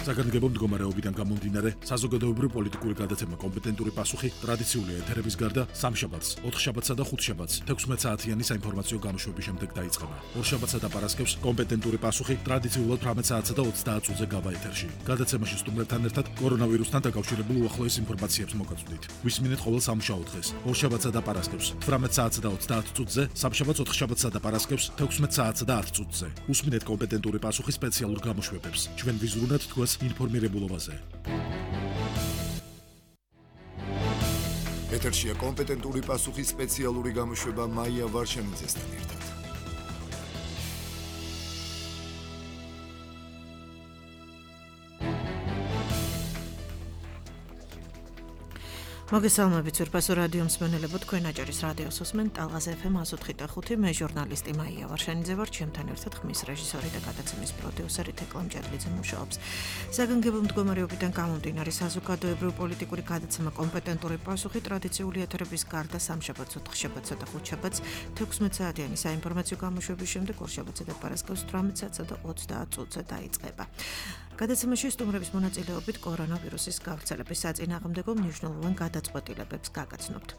საგანგებო მდგომარეობიდან გამომდინარე, საზოგადოებრივ პოლიტიკური გადაცემა კომპეტენტური პასუხი ტრადიციული ეთერების გარდა სამშაბათს, 4 შაბათსა და 5 შაბათს 16 საათიანი საინფორმაციო გამოშვების შემდეგ დაიწყება. 2 შაბათსა და პარასკევს კომპეტენტური პასუხი ტრადიციულად 18 საათსა და 30 წუთზე გავა ეთერში. გადაცემაში სტუმრებთან ერთად კორონავირუსთან დაკავშირებულ უახლოეს ინფორმაციებს მოგაწვდით. ვისმინეთ ყოველ სამუშაო დღეს, 2 შაბათსა და პარასკევს 18 საათსა და 30 წუთზე, სამშაბათს 4 შაბათსა და პარასკევს 16 საათსა და 10 წუთზე. უსმინეთ კომპეტენტური პასუხი სპეციალურ გამოშვებებს. ჩვენ ვიზრუნებთ თქვენს ინფორმირებულობაზე. ეთერშია კომპეტენტური პასუხის სპეციალური გამოშვება მაია ვარშანიძესთან ერთად. მოგესალმებით ძვირფასო რადიო მსმენელებო, თქვენ აჭარის რადიოს უსმენთ ტალღას FM 104.5. მე ჟურნალისტი მაია ვარშანიძე ვარ, ჩემთან ერთად ხმის რეჟისორი და გადაცემის პროდიუსერი თეკლა მჭედლიძე მუშაობს. საგანგებო მდგომარეობიდან გამომდინარე, საზოგადოებრივ პოლიტიკური გადაცემა კომპეტენტური პასუხი ტრადიციული ეთერების გარდა სამშაბათს, 4 შაბათსა და 5 შაბათს 16 საათიანი საინფორმაციო გამოშვების შემდეგ 2 შაბათსა და პარასკევს 18 საათსა და 30 წუთზე დაიწყება. გადაცემაში სტუმრების მონაწილეობით კორონავირუსის გავრცელების საწინააღმდეგო მნიშვნელოვან გადაწყვეტილებებს გაგაცნობთ.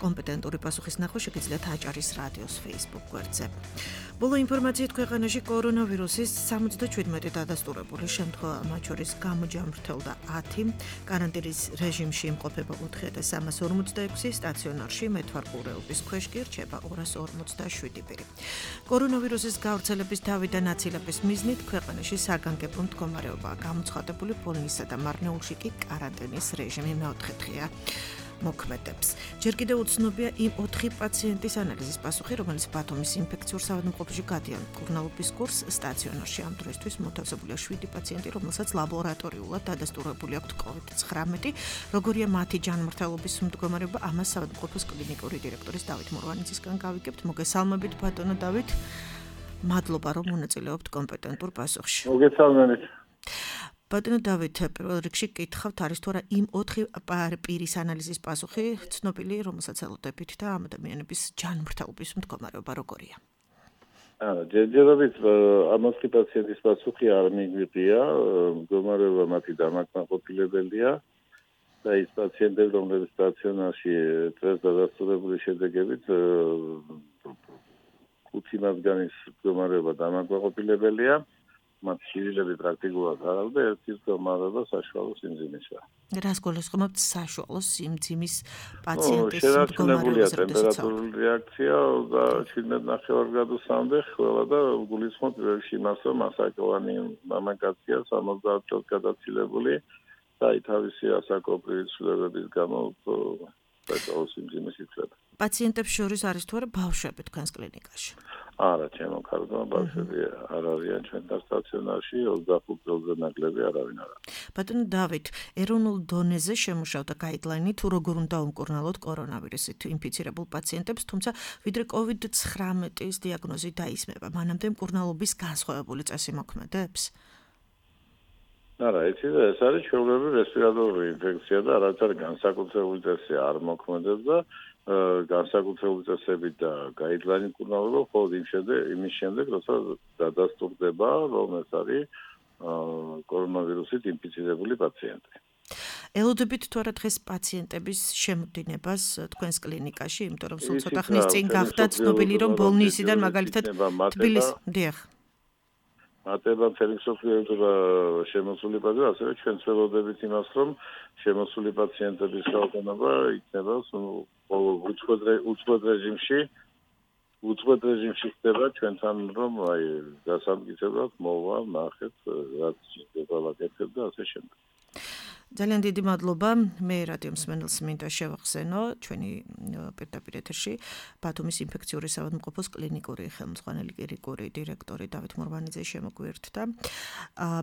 კომპეტენტური პასუხის ნახვა შეგიძლიათ აჭარის რადიოს Facebook გვერდზე. ბოლო ინფორმაციით ქვეყანაში კორონავირუსის 77 დადასტურებული შემთხვევა, მათ შორის გამოჯამრთელდა 10, კარანტინის რეჟიმში იმყოფება 4346, სტაციონარში მეთვალყურეობის ქვეშ კი რჩება 247 პირი. კორონავირუსის გავრცელების თავიდან აცილების მიზნით ქვეყანაში საგანგებო მდგომარეობაა გამოცხადებული, პოლონეთსა და მარნეულში კი კარანტინის რეჟიმი მეოთხე დღეა მოქმედებს. ჯერ კიდევ უცნობია იმ 4 პაციენტის ანალიზის პასუხი, რომელიც ბათუმის ინფექციურ საავადმყოფოში გადიან მკურნალობის კურსს. სტაციონარში ამ დროისთვის მოთავსებულია 7 პაციენტი, რომელსაც ლაბორატორიულად დადასტურებული აქვთ COVID-19. როგორია მათი ჯანმრთელობის მდგომარეობა, ამას საავადმყოფოს კლინიკური დირექტორის დავით მურვანიძისგან გავიგებთ. მოგესალმებით ბატონო დავით. მადლობა რომ მონაწილეობთ კომპეტენტურ პასუხში. მოგესალმებით. ბატონო დავით, პირველ რიგში გითხავთ, არის თუ არა იმ 4 პირის ანალიზის პასუხი ცნობილი, რომელსაც ელოდებით და ამ ადამიანების ჯანმრთელობის მდგომარეობა როგორია? ჯერჯერობით ამ 4 პაციენტის პასუხი არ მიგვიყია, მდგომარეობა მათი დამაკმაყოფილებელია და ის პაციენტები, რომლებიც სტაციონარში დღეს დადასტურებული შედეგებით 5 მათგანის მდგომარეობა დამაკმაყოფილებელია. მათ შივილები პრაქტიკულად არ აქვს და ერთი მდგომარეობა საშუალო სიმძიმისა. რას გულისხმობთ საშუალო სიმძიმის პაციენტის მდგომარეობის ტემპერატურული რეაქცია და 17.5 გრადუსამდე ხველა და გულისხმობთ ვერში იმას, რომ ასაკოვანი მამაკაცია 70 წელს გადაცილებული და თავისი ასაკობრივი ცვლილებების გამო საშუალო სიმძიმის იწვება. პაციენტებს შორის არის თუ არა ბავშვები თქვენს კლინიკაში? არა, ჩემო ქალბატონო, ბავშვები არ არიან ჩვენთან სტაციონარში, 25 წელზე ნაკლები არავინ არ არის. ბატონო დავით, ეროვნულ დონეზე შემუშავდა გაიდლაინი თუ როგორ უნდა უმკურნალოთ კორონავირუსით ინფიცირებულ პაციენტებს, თუმცა ვიდრე COVID-19-ის დიაგნოზი დაისმება, მანამდე მკურნალობის განსხვავებული წესი მოქმედებს? არა, ეს არის ჩვეულებრივი რესპირატორული ინფექცია და რაც არის განსაკუთრებული წესი არ მოქმედებს და განსაკუთრებული წესებით და გაიდლაინი მკურნალობა მხოლოდ იმის შემდეგ, როცა დადასტურდება, რომ ეს არის კორონავირუსით ინფიცირებული პაციენტი. ელოდებით თუ არა დღეს პაციენტების შემოდინებას თქვენს კლინიკაში, იმიტომ რომ სულ ცოტა ხნის წინ გახდა ცნობილი, რომ ბოლნისიდან მაგალითად თბილისში, დიახ. მატება მთელი მსოფლიოში შემოსული პაციენტები, ასევე ჩვენ ველოდებით იმას, რომ შემოსული პაციენტების რაოდენობა იქნება უწყვეტ რეჟიმში ხდება ჩვენთან, რომ გასამტკიცებლად მოვა, ნახეთ, რაც შეიძლება ვაკეთებ და ასე შემდეგ. ძალიან დიდი მადლობა. მე რადიო მსმენელს მინდა შევახსენო ჩვენი პირდაპირ ეთერში ბათუმის ინფექციური საავადმყოფოს კლინიკური ხელმძღვანელი კლინიკური დირექტორი დავით მურვანიძე შემოგვიერთდა.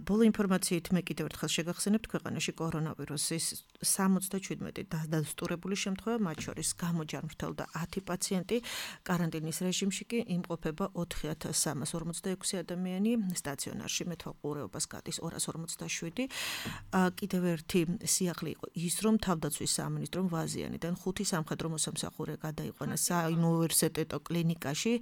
ბოლო ინფორმაციით მე კიდევ ერთხელ შეგახსენებთ, ქვეყანაში კორონავირუსის 77 დადასტურებული შემთხვევა, მათ შორის გამოჯანმრთელდა 10 პაციენტი, კარანტინის რეჟიმში კი იმყოფება 4346 ადამიანი, სტაციონარში მეთვალყურეობას გადის 247. კიდევ ერთი მათი სიახლე იყო ის, რომ თავდაცვის სამინისტრომ ვაზიანიდან 5 სამხედრო მოსამსახურე გადაიყვანა საუნივერსიტეტო კლინიკაში.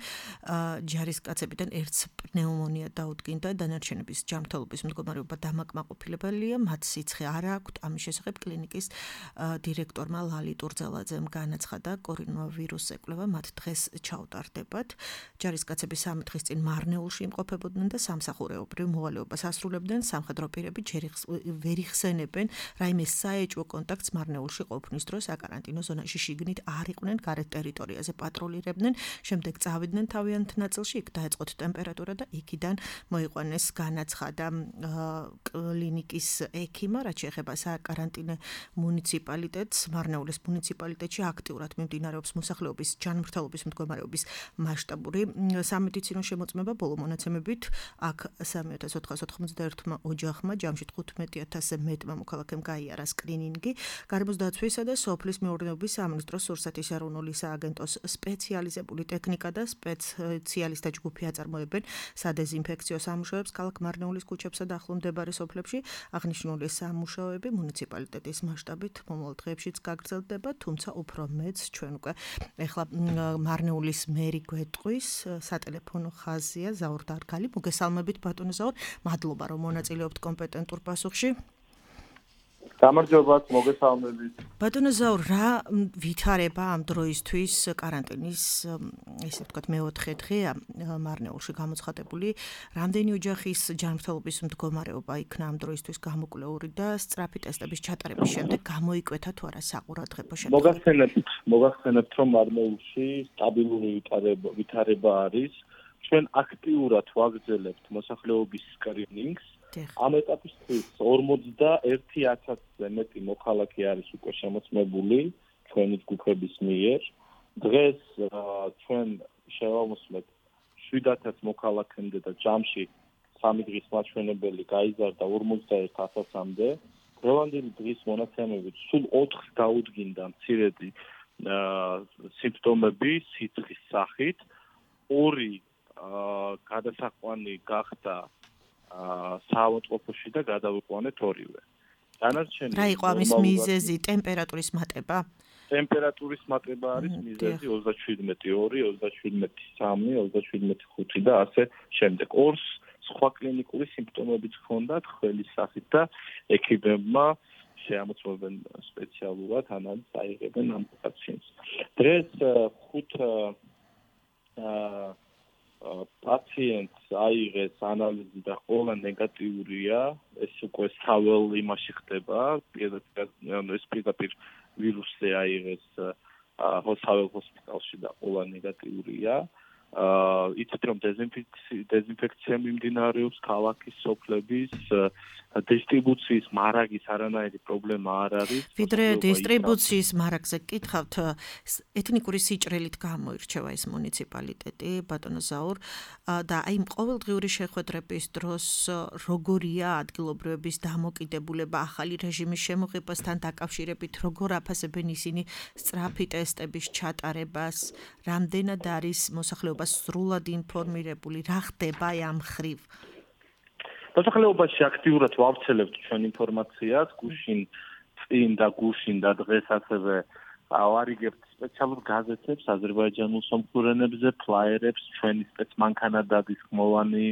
ჯარისკაცებიდან ერთს პნეუმონია დაუდგინდა, დანარჩენების ჯანმრთელობის მდგომარეობა დამაკმაყოფილებელია, მათ სიცხე არ აქვთ. ამის შესახებ კლინიკის დირექტორმა ლალი ტურძელაძემ განაცხადა, კორონავირუსს ეკვლევა მათ დღეს ჩაუტარდებათ. ჯარისკაცები 3 დღის წინ მარნეულში იმყოფებოდნენ და სამსახურეობრივ მოვალეობას ასრულებდნენ. სამხედრო პირები ვერ იხსენებენ რაიმე საეჭვო კონტაქტს მარნეულში ყოფნის დროს აკარანტინო ზონაში შიგნით არ იყვნენ, გარეთ ტერიტორიაზე პატრულირებდნენ, შემდეგ წავიდნენ თავიანთ ნაწილში, იქ დაეწყოთ ტემპერატურა და იქიდან მოიყვანეს, განაცხადა კლინიკის ექიმმა, რაც შეეხება საკარანტინო მუნიციპალიტეტს. მარნეულის მუნიციპალიტეტში აქტიურად მიმდინარეობს მოსახლეობის ჯანმრთელობის მდგომარეობის მასშტაბური სამედიცინო შემოწმება. ბოლო მონაცემებით აქ 3491 ოჯახმა, ჯამში 15000-ზე მეტმა მოქალაქემ გაიარა სკრინინგი. გარემოს დაცვისა და სოფლის მეურნეობის სამინისტროს სურსათის ეროვნული სააგენტოს სპეციალიზებული ტექნიკა და სპეციალისტთა ჯგუფი აწარმოებენ სადეზინფექციო სამუშაოებს ქალაქ მარნეულის ქუჩებსა და ახლო მდებარე სოფლებში. აღნიშნული სამუშაოები მუნიციპალიტეტის მასშტაბით მომავალ დღეებშიც გაგრძელდება, თუმცა უფრო მეც ჩვენ უკვე ეხლა მარნეულის მერი გვეტყვის, სატელეფონო ხაზია ზაურ დარგალი. მოგესალმებით ბატონო ზაურ, მადლობა რომ მონაწილეობთ კომპეტენტურ პასუხში. გამარჯობათ, მოგესალმებით. ბატონო ზაურ, რა ვითარება ამ დროისთვის კარანტინის, ესე ვთქვათ, მეოთხე დღეა მარნეულში გამოცხადებული. რამდენი ოჯახის ჯანმრთელობის მდგომარეობა იქნა ამ დროისთვის გამოკვლეული და სწრაფი ტესტების ჩატარების შემდეგ გამოიკვეთა თუ არა საყურადღებო შემთხვევა? მოგახსენებთ, რომ მარნეულში სტაბილური ვითარება არის. ჩვენ აქტიურად ვაგრძელებთ მოსახლეობის სკრინინგს. ამ ეტაპისთვის 41000-ზე მეტი მოქალაქე არის უკვე შემოწმებული ჩვენი ჯგუფების მიერ. დღეს ჩვენ შევამოსვლეთ 7000 მოქალაქემდე და ჯამში 3 დღის მაჩვენებელი გაიზარდა 41000-მდე. დღევანდელი დღის მონაცემებით სულ 4 დაუდგინდა მცირედი სიმპტომები სიცხის სახით. 2 გადასაყვანი გახდა საავადმყოფოში და გადავიყვანეთ 2-ვე. დანარჩენი რა იყო ამის მიზეზი? ტემპერატურის მატება? ტემპერატურის მატება არის მიზეზი 37.2, 37.3, 37.5 და ასე შემდეგ. 2 სხვა კლინიკური სიმპტომებიც ჰქონდათ ხველის სახით და ექიმებმა შეამოწმებენ სპეციალურად ანალიზს აიღებენ ამ პაციენტს. დღეს 5 პაციენტს აიღეს ანალიზი და ყველა ნეგატიურია. ეს უკვე სავალ იმაში ხდება, ეს პირდაპირ ვირუსზე აიღეს სავალ ჰოსპიტალში და ყველა ნეგატიურია. იცით რომ დეზინფექცია მიმდინარეობს ქალაქის, სოფლების, დისტრიბუციის მარაგის არანაირი პრობლემა არ არის. ვიდრე დისტრიბუციის მარაგზე გკითხავთ, ეთნიკური სიჭრელით გამოირჩევა ეს მუნიციპალიტეტი, ბატონო ზაურ, და აი ყოველდღიური შეხვედრების დროს როგორია ადგილობრივების დამოკიდებულება ახალი რეჟიმის შემოღებასთან დაკავშირებით, როგორ აფასებენ ისინი სწრაფი ტესტების ჩატარებას, რამდენად არის მოსახლეობა სრულად ინფორმირებული, რა ხდება ამ ხრივ? მოსახლეობაში აქტიურად ვავრცელებთ ჩვენ ინფორმაციას, გუშინ წინ და გუშინ და დღეს ასევე ვარიგებთ სპეციალურ გაზეთებს, აზერბაიჯანულ სომხურენებზე, ფლაიერებს, ჩვენი სპეცმანქანადადის ხმოვანი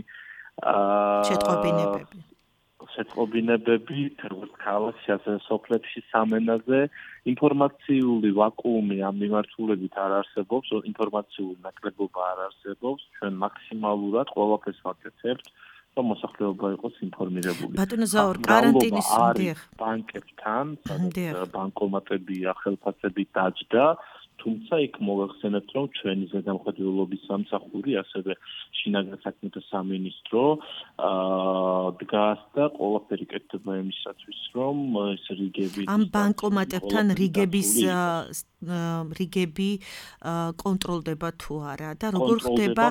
შეტყობინებები, როგორც ქალაქში, ასე სოფლებში, სამენაზე. ინფორმაციული ვაკუუმი ამ მიმართულებით არ არსებობს, ინფორმაციული ნაკლებობა არ არსებობს. ჩვენ მაქსიმალურად ყველაფერს ვაკეთებთ, რომ მოსახლეობა იყოს ინფორმირებული. ბატონო ზაურ, კარანტინის ბანკებთან, სადაც ბანკომატებია, ხელფასები დაჯდა, თუმცა იქ მოგახსენებთ, რომ ჩვენი ზედამხედველობის სამსახური, ასევე შინაგან საქმეთა სამინისტრო დგას და ყველაფერი კეთდება იმისათვის, რომ ეს რიგები ამ ბანკომატებთან რიგები კონტროლდება თუ არა და როგორ ხდება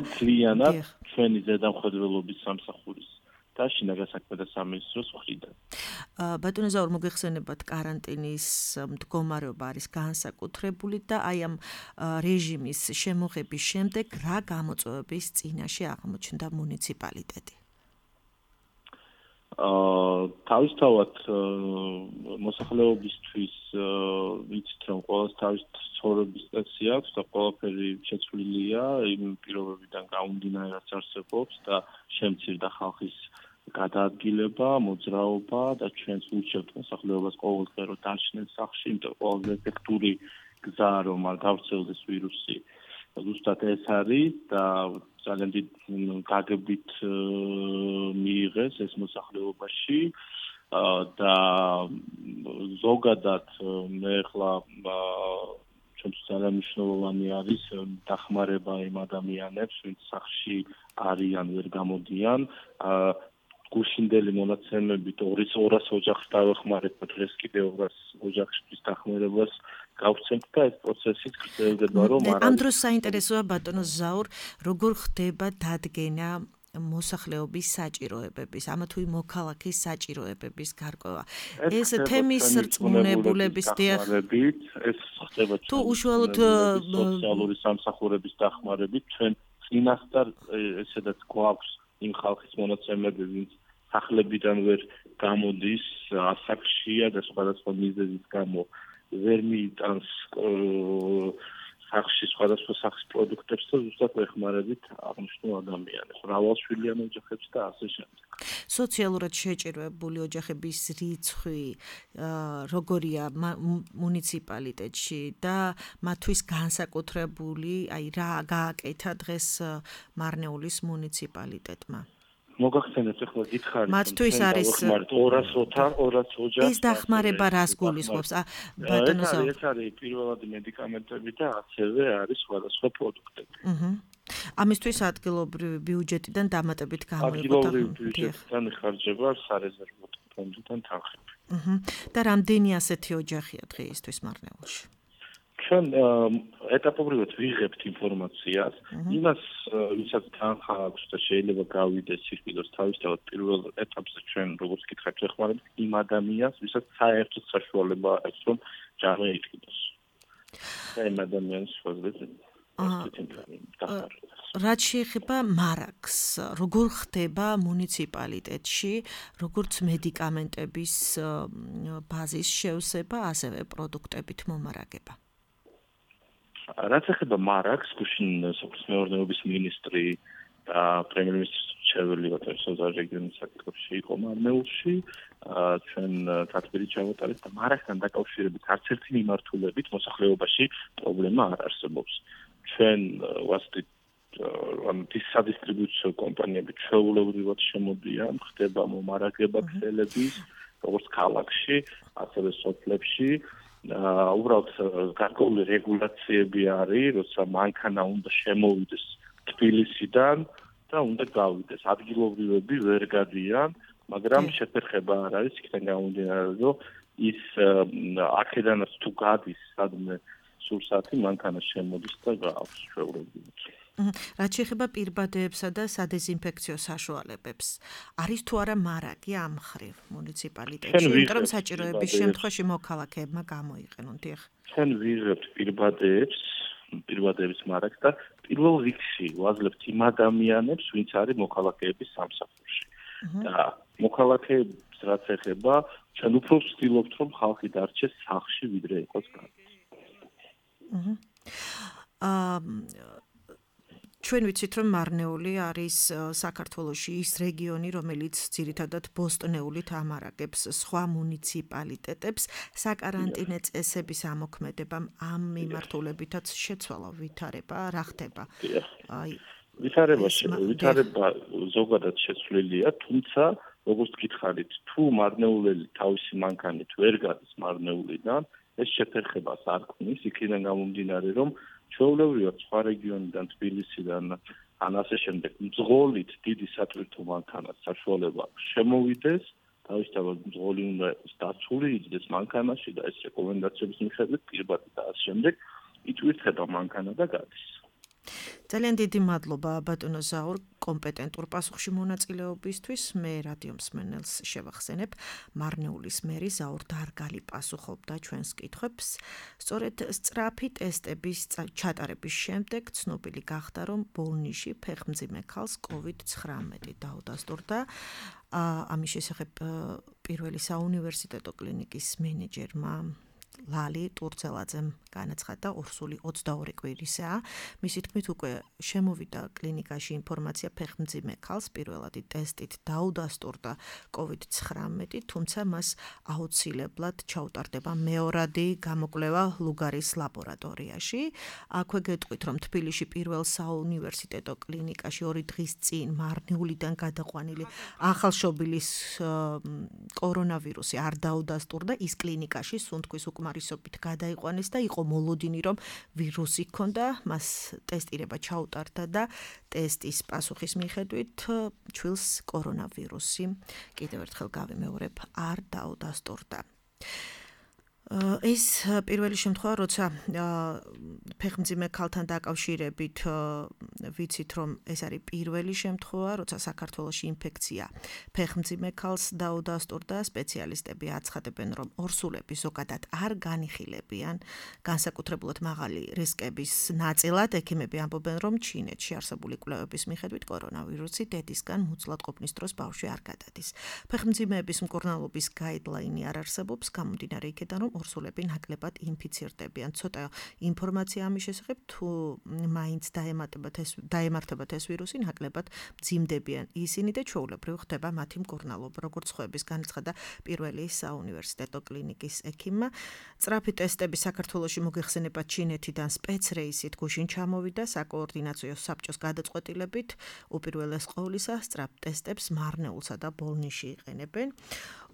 ჩვენი ზედამხედველობის სამსახურის და შინაგან საქმეთა სამინისტროს მხრიდან. ბატონო ზაურ, მოგეხსენებათ კარანტინის მდგომარეობა არის განსაკუთრებული და აი ამ რეჟიმის შემოღების შემდეგ რა გამოწვევების წინაშე აღმოჩნდა მუნიციპალიტეტი? თავისთავად მოსახლეობისთვის ვიცით რომ ყოველს თავის ცხოვრების წესი აქვს და ყველაფერი შეცვლილია იმ პირობებიდან გამომდინარე რაც არსებობს და შემცირდა ხალხის გადაადგილება, მოძრაობა და ჩვენს ურჩევთ მოსახლეობას ყოველდღე რომ დარჩნენ სახლში, იმიტომ ყველაზე ეფექტური გზა რომ არ გავრცელდეს ვირუსი ზუსტად ეს არის და ძალიან დიდ გაგებით მიიღეს ეს მოსახლეობაში და ზოგადად მე ახლა ჩვენთვის ძალიან მნიშვნელოვანი არის დახმარება იმ ადამიანებს, ვინც სახლში არიან, ვერ გამოდიან. გუშინდელი მონაცემებით 200 ოჯახს დავეხმარეთ და დღეს კიდე 200 ოჯახისთვის დახმარებას გავცემთ და ეს პროცესი გრძელდება რომ ამ დროს საინტერესოა ბატონო ზაურ, როგორ ხდება დადგენა მოსახლეობის საჭიროებების, ამა თუ იმ მოქალაქის საჭიროებების გარკვევა. ეს თემის რწმუნებულების დახმარებით, ეს ხდება თუ უშუალოდ სოციალური სამსახურების დახმარებით, ჩვენ წინასწარ ესედაც გვაქვს იმ ხალხის მონაცემები, ვინც სახლებიდან ვერ გამოდის, ასაკშია და სხვადასხვა მიზეზის გამო ვერ მიიტანს სახში სხვადასხვა სახის პროდუქტებს და ზუსტად ეხმარებით აღნიშნულ ადამიანებს, მრავალშვილიან ოჯახებს და ასე შემდეგ. სოციალურად შეჭირვებული ოჯახების რიცხვი როგორია მუნიციპალიტეტში და მათთვის განსაკუთრებული, აი რა გააკეთა დღეს მარნეულის მუნიციპალიტეტმა? მოგახსენებთ ახლა გითხარით მათთვის არის 200 ოჯახს ეს დახმარება რას გულისხმობს? ბატონო ზაურ, ეს არის პირველადი medikamentები და ასევე არის სხვადასხვა პროდუქტები. ამისთვის ადგილობრივი ბიუჯეტიდან დამატებით გამოიყო ადგილობრივი ბიუჯეტიდან იხარჯება სარეზერვო ფონდიდან თანხები. და რამდენი ასეთი ოჯახია დღეისთვის მარნეულში? ჩვენ ეტაპობრივად ვიღებთ ინფორმაციას, იმას ვისაც თანხა აქვს და შეიძლება გავიდეს სიხილოს თავისთავად პირველ ეტაპზე ჩვენ როგორც გითხარით ვეხმარებთ იმ ადამიანს, ვისაც საერთოდ საშუალება აქვს რომ ჯამე იყიდოს. და იმ ადამიანს შეგვიძლია რაც შეეხება მარაგს, როგორ ხდება მუნიციპალიტეტში, როგორც მედიკამენტების ბაზის შევსება, ასევე პროდუქტებით მომარაგება? რაც ეხება მარაგს, გუშინ სოფლის მეურნეობის მინისტრი და პრემიერ-მინისტრის მრჩეველი ბატონო რეგიონის საკითხებში იყო მარნეულში, ჩვენ თათბირი ჩავატარეთ და მარაგთან დაკავშირებით არც ერთი მიმართულებით მოსახლეობაში პრობლემა არ არსებობს. ჩვენ ვასწრით სადისტრიბუციო კომპანიები ჩვეულებრივად შემოდიან, ხდება მომარაგება ქსელების, როგორც ქალაქში, ასევე სოფლებში. უბრალოდ გარკვეული რეგულაციები არის, როცა მანქანა უნდა შემოვიდეს თბილისიდან და უნდა გავიდეს. ადგილობრივები ვერ გადიან, მაგრამ შეფერხება არ არის, იქიდან გამომდინარე, რომ ის აქედანაც თუ გადის სადმე სურსათი მანქანა შემოდის და გააქვს ჩვეულებრივად. რაც შეეხება პირბადეებსა და სადეზინფექციო საშუალებებს, არის თუ არა მარაგი ამ მხრივ მუნიციპალიტეტში, იმიტომ რომ საჭიროების შემთხვევაში მოქალაქეებმა გამოიყენონ. ჩვენ ვიღებთ პირბადეების მარაგს და პირველ რიგში ვაძლევთ იმ ადამიანებს, ვინც არის მოქალაქეების სამსახურში. და მოქალაქეებს რაც ეხება, ჩვენ უფრო ვცდილობთ, რომ ხალხი დარჩეს სახლში, ვიდრე იყოს გარეთ. ჩვენ ვიცით, რომ მარნეული არის საქართველოში ის რეგიონი, რომელიც ძირითადად ბოსტნეულით ამარაგებს სხვა მუნიციპალიტეტებს. საკარანტინე წესების ამოქმედებამ ამ მიმართულებითაც შეცვალა ვითარება, რა ხდება? ვითარება ზოგადად შეცვლილია, თუმცა როგორც გითხარით, თუ მარნეულელი თავისი მანქანით ვერ გადის მარნეულიდან, ეს შეფერხებას არ ქმნის, იქიდან გამომდინარე, რომ ჩვეულებრივად სხვა რეგიონიდან, თბილისიდან, ან ასე შემდეგ, მძღოლით დიდი სატვირთო მანქანას საშუალება შემოვიდეს, თავისთავად მძღოლი უნდა იყოს დაცული, იჯდეს მანქანაში და ეს რეკომენდაციების მიხედვით პირბადე და ასე შემდეგ იტვირთება მანქანა და გადის. ძალიან დიდი მადლობა ბატონო ზაურ კომპეტენტურ პასუხში მონაწილეობისთვის. მე რადიო მსმენელს შევახსენებ, მარნეულის მერი ზაურ დარგალი პასუხობდა ჩვენს კითხვებს. სწორედ სწრაფი ტესტების ჩატარების შემდეგ ცნობილი გახდა, რომ ბოლნიში ფეხმძიმე ქალს COVID-19 დაუდასტურდა. ამის შესახებ პირველი საუნივერსიტეტო კლინიკის მენეჯერმა ლალი ტურცელაძემ განაცხადა, ორსული 22 კვირისაა. მისი თქმით, უკვე შემოვიდა კლინიკაში ინფორმაცია ფეხმძიმე ქალს პირველადი ტესტით დაუდასტურდა COVID-19, თუმცა მას აუცილებლად ჩაუტარდება მეორადი გამოკვლევა ლუგარის ლაბორატორიაში. აქვე გეტყვით, რომ თბილისში პირველ საუნივერსიტეტო კლინიკაში 2 დღის წინ მარნეულიდან გადაყვანილი ახალშობილის კორონავირუსი არ დაუდასტურდა, ის კლინიკაში სუნთქვის უკმარისობით გადაიყვანეს და იყო მოლოდინი, რომ ვირუსი ჰქონდა, მას ტესტირება ჩაუტარდა და ტესტის პასუხის მიხედვით ჩვილს კორონავირუსი, კიდევ ერთხელ გავიმეორებ, არ დაუდასტურდა. ეს პირველი შემთხვევა, როცა ფეხმძიმე ქალთან დაკავშირებით ვიცით, რომ ეს არის პირველი შემთხვევა, როცა საქართველოში ინფექცია ფეხმძიმე ქალს დაუდასტურდა, სპეციალისტები აცხადებენ, რომ ორსულები ზოგადად არ განიხილებიან განსაკუთრებულად მაღალი რისკების ნაწილად. ექიმები ამბობენ, რომ ჩინეთში არსებული კვლევების მიხედვით კორონავირუსი დედისგან მუცლად ყოფნის დროს ბავშვი არ გადადის. ფეხმძიმეების მკურნალობის გაიდლაინი არ არსებობს, გამომდინარე იქედან, რომ ორსულები ნაკლებად ინფიცირდებიან. ცოტა ინფორმაცია ამის შესახებ, თუ მაინც დაემართებათ ეს ვირუსი, ნაკლებად მძიმდებიან ისინი და ჩვეულებრივ ხდება მათი მკურნალობა, როგორც ხვების განაცხადა პირველი საუნივერსიტეტო კლინიკის ექიმმა. სწრაფი ტესტები საქართველოში მოგეხსენება ჩინეთიდან სპეცრეისით გუშინ ჩამოვიდა საკოორდინაციო საბჭოს გადაწყვეტილებით. უპირველეს ყოვლისა, სწრაფ ტესტებს მარნეულსა და ბოლნიში იყენებენ.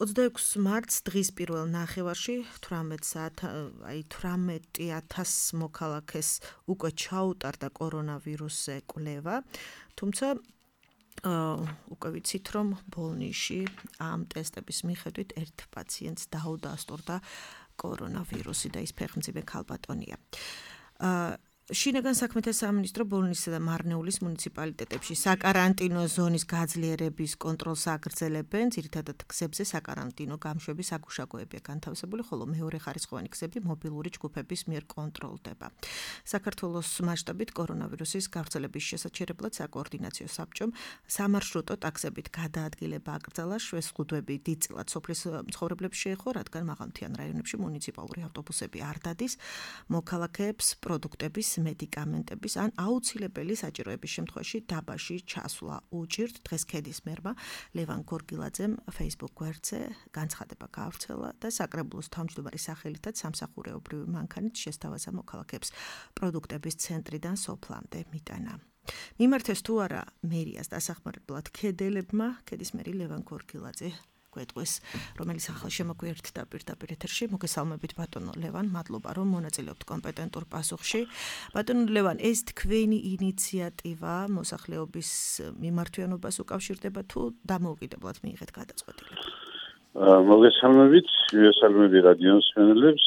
26 მარტს დღის პირველ ნახევარში 18,000 მოქალაქეს უკვე ჩაუტარდა კორონავირუსზე კვლევა, თუმცა უკვე ვიცით, რომ ბოლნიში ამ ტესტების მიხედვით ერთ პაციენტს დაუდასტურდა კორონავირუსი და ის ფეხმძიმე ქალბატონია. შინაგან საქმეთა სამინისტრო ბოლნისსა და მარნეულის მუნიციპალიტეტებში საკარანტინო ზონის გაძლიერების კონტროლს აგრძელებენ. ძირითადად გზებზე საკარანტინო გამშვების საგუშაგოებია განთავსებული, ხოლო მეორე ხარისხოვანი გზები მობილური ჯგუფების მიერ კონტროლდება. საქართველოს მასშტაბით კორონავირუსის გავრცელების შესაჩერებლად საკოორდინაციო საბჭომ სამარშრუტო ტაქსებით გადაადგილება აკრძალა. შვესხუდვები დიდწილად სოფლის მცხოვრებლებს შეეხო, რადგან მაღალმთიან რაიონებში მუნიციპალური ავტობუსები არ დადის მოქალაქეებს პროდუქტების, მედიკამენტების ან აუცილებელი საჭიროების შემთხვევაში დაბაში ჩასვლა უჭირთ. დღეს ქედის მერმა ლევან გორგილაძემ Facebook გვერდზე განცხადება გაავრცელა და საკრებულოს თავმჯდომარის სახელითაც სამსახურეობრივი მანქანით შესთავაზა მოქალაქეებს პროდუქტების ცენტრიდან სოფლამდე მიტანა. მიმართეს თუ არა მერიას დასახმარებლად ქედელებმა, ქედის მერი ლევან გორგილაძე გვეტყვის, რომელიც ახლა შემოგვიერთდა პირდაპირ ეთერში. მოგესალმებით ბატონო ლევან, მადლობა რომ მონაწილეობთ კომპეტენტურ პასუხში. ბატონო ლევან, ეს თქვენი ინიციატივა მოსახლეობის მიმართვიანობას უკავშირდება თუ დამოუკიდებლად მიიღეთ გადაწყვეტილება? მოგესალმებით, მივესალმები რადიო მსმენელებს.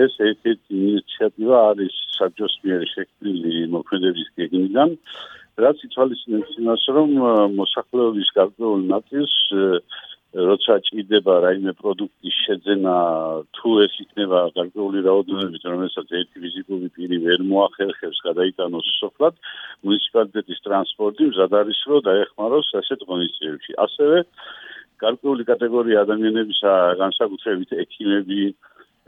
ეს ერთ-ერთი ინიციატივა არის საბჭოს მიერ შექმნილი მოქმედების გეგმიდან, რაც ითვალისწინებს იმას, რომ მოსახლეობის გარკვეულ ნაწილს როცა ჭირდება რაიმე პროდუქტის შეძენა, თუ ეს იქნება გარკვეული რაოდენობით, რომელსაც ერთი ფიზიკური პირი ვერ მოახერხებს გადაიტანოს სოფლად, მუნიციპალიტეტის ტრანსპორტი მზად არის, რომ დაეხმაროს ასეთ ღონისძიებებში. ასევე გარკვეული კატეგორია ადამიანებისა, განსაკუთრებით ექიმები,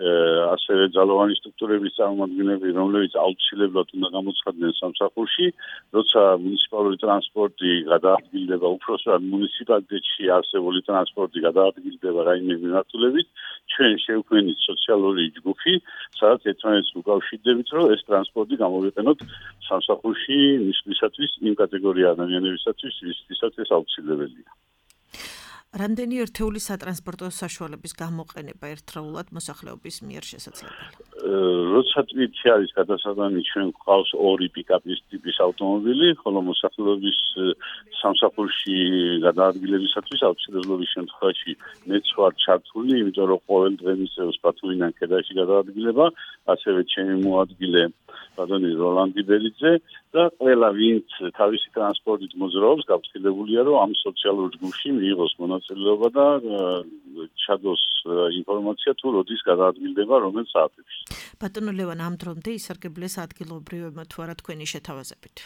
ასევე ძალოვანი სტრუქტურების წარმომადგენლები, რომლებიც აუცილებლად უნდა გამოცხადდნენ სამსახურში, როცა მუნიციპალური ტრანსპორტი გადაადგილდება, უпростоად მუნიციპალიტეტში არსებული ტრანსპორტი გადაადგილდება რაიმე მიმართულებით, ჩვენ შევქმნით სოციალური ჯგუფი, სადაც ერთმანეთს უკავშირდებით, რომ ეს ტრანსპორტი გამოვიყენოთ სამსახურში მისვლისათვის იმ კატეგორია ადამიანებისათვის, ვისთვისაც ეს აუცილებელია. რამდენი ერთეული სატრანსპორტო საშუალების გამოყენება ერთდროულად მოსახლეობის მიერ შესაძლებელია? როცა თვითი არის გადასატანი ჩვენ გვყავს ორი პიკაპის ტიპის ავტომობილი, ხოლო მოსახლეობის სამსახურში გადაადგილებისათვის აუცილებლობის შემთხვევაში მეც ვარ ჩართული, იმიტომ რომ ყოველ დღე მისცემს ბათუმიდან ქედაში გადაადგილება, ასევე ჩემი მოადგილე ბატონი როლანდი ბერიძე და ყველა ვინც თავისი ტრანსპორტით მოძრაობს, გაფრთხილებულია, რომ ამ სოციალურ ჯგუფში მიიღოს მონაწილეობა და ჩადოს ინფორმაცია თუ როდის გადაადგილდება რომელ საათებში. ბატონო ლევან, ამ დრომდე ისარგებლეს ადგილობრივებმა თუ არა თქვენი შეთავაზებით?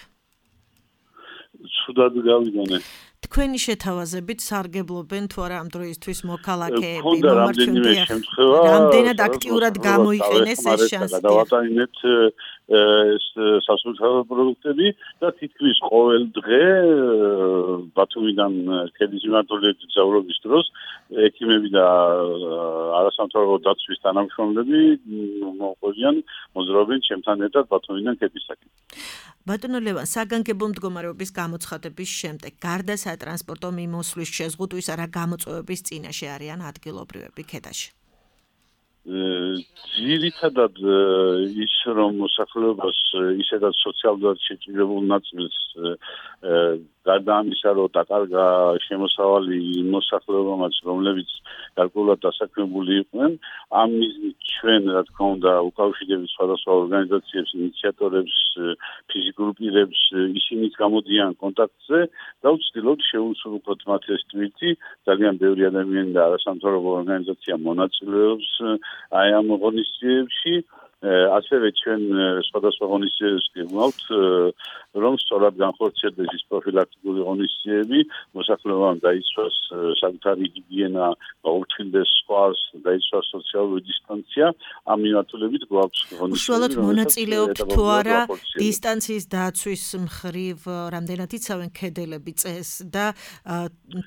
ცუდად გავიგონე. თქვენი შეთავაზებით სარგებლობენ თუ არა ამ დროისთვის მოქალაქეები, მომართვენდი შემთხვევა, რამდენად აქტიურად გამოიყენეს ეს შანსი? გადავატანინეთ ეს სასურსათო პროდუქტები და თითქმის ყოველ დღე ბათუმიდან ქედის მიმართულებით გზავრობის დროს ექიმები და არასამთავრობო დაცვის თანამშრომლები მოყვებიან მოძრაობენ ჩემთან ერთად ბათუმიდან ქედისაკენ. ბატონო ლევან, საგანგებო მდგომარეობის გამოცხადების შემდეგ გარდა სატრანსპორტო მიმოსვლის შეზღუდვის არა გამოწვევების წინაშე არიან ადგილობრივები ქედაში? ძირითადად ის რომ მოსახლეობას ისედაც სოციალურად შეჭირებულ ნაწილს გარდა ამისა რომ დაკარგა შემოსავალი მოსახლეობამაც რომლებიც გარკვეულად დასაქმებული იყვნენ ამ მიზნით ჩვენ რა თქმა უნდა უკავშირდებით სხვადასხვა ორგანიზაციებს ინიციატორებს ფიზიკურ პირებს ისინიც გამოდიან კონტაქტზე და ვცდილობთ შევუსრულოთ მათ ეს თვით ძალიან ბევრი ადამიანი და არასამთავრობო ორგანიზაცია მონაწილეობს აი ამ ღონისძიებებში ასევე ჩვენ სხვადასხვა ღონისძიებებს გეღმავთ რომ სწორად განხორციელდეს ის პროფილაქტიკური ღონისძიებები მოსახლეობამ დაიცვას საკუთარი ჰიგიენა გაუჩნდეს სხვას დაიცვას სოციალური დისტანცია ამ მიმართულებით გვაქვს ღონისძიებები უშუალოდ მონაწილეობთ თუ არა დისტანციის დაცვის მხრივ რამდენად იცავენ ქედელები წესს და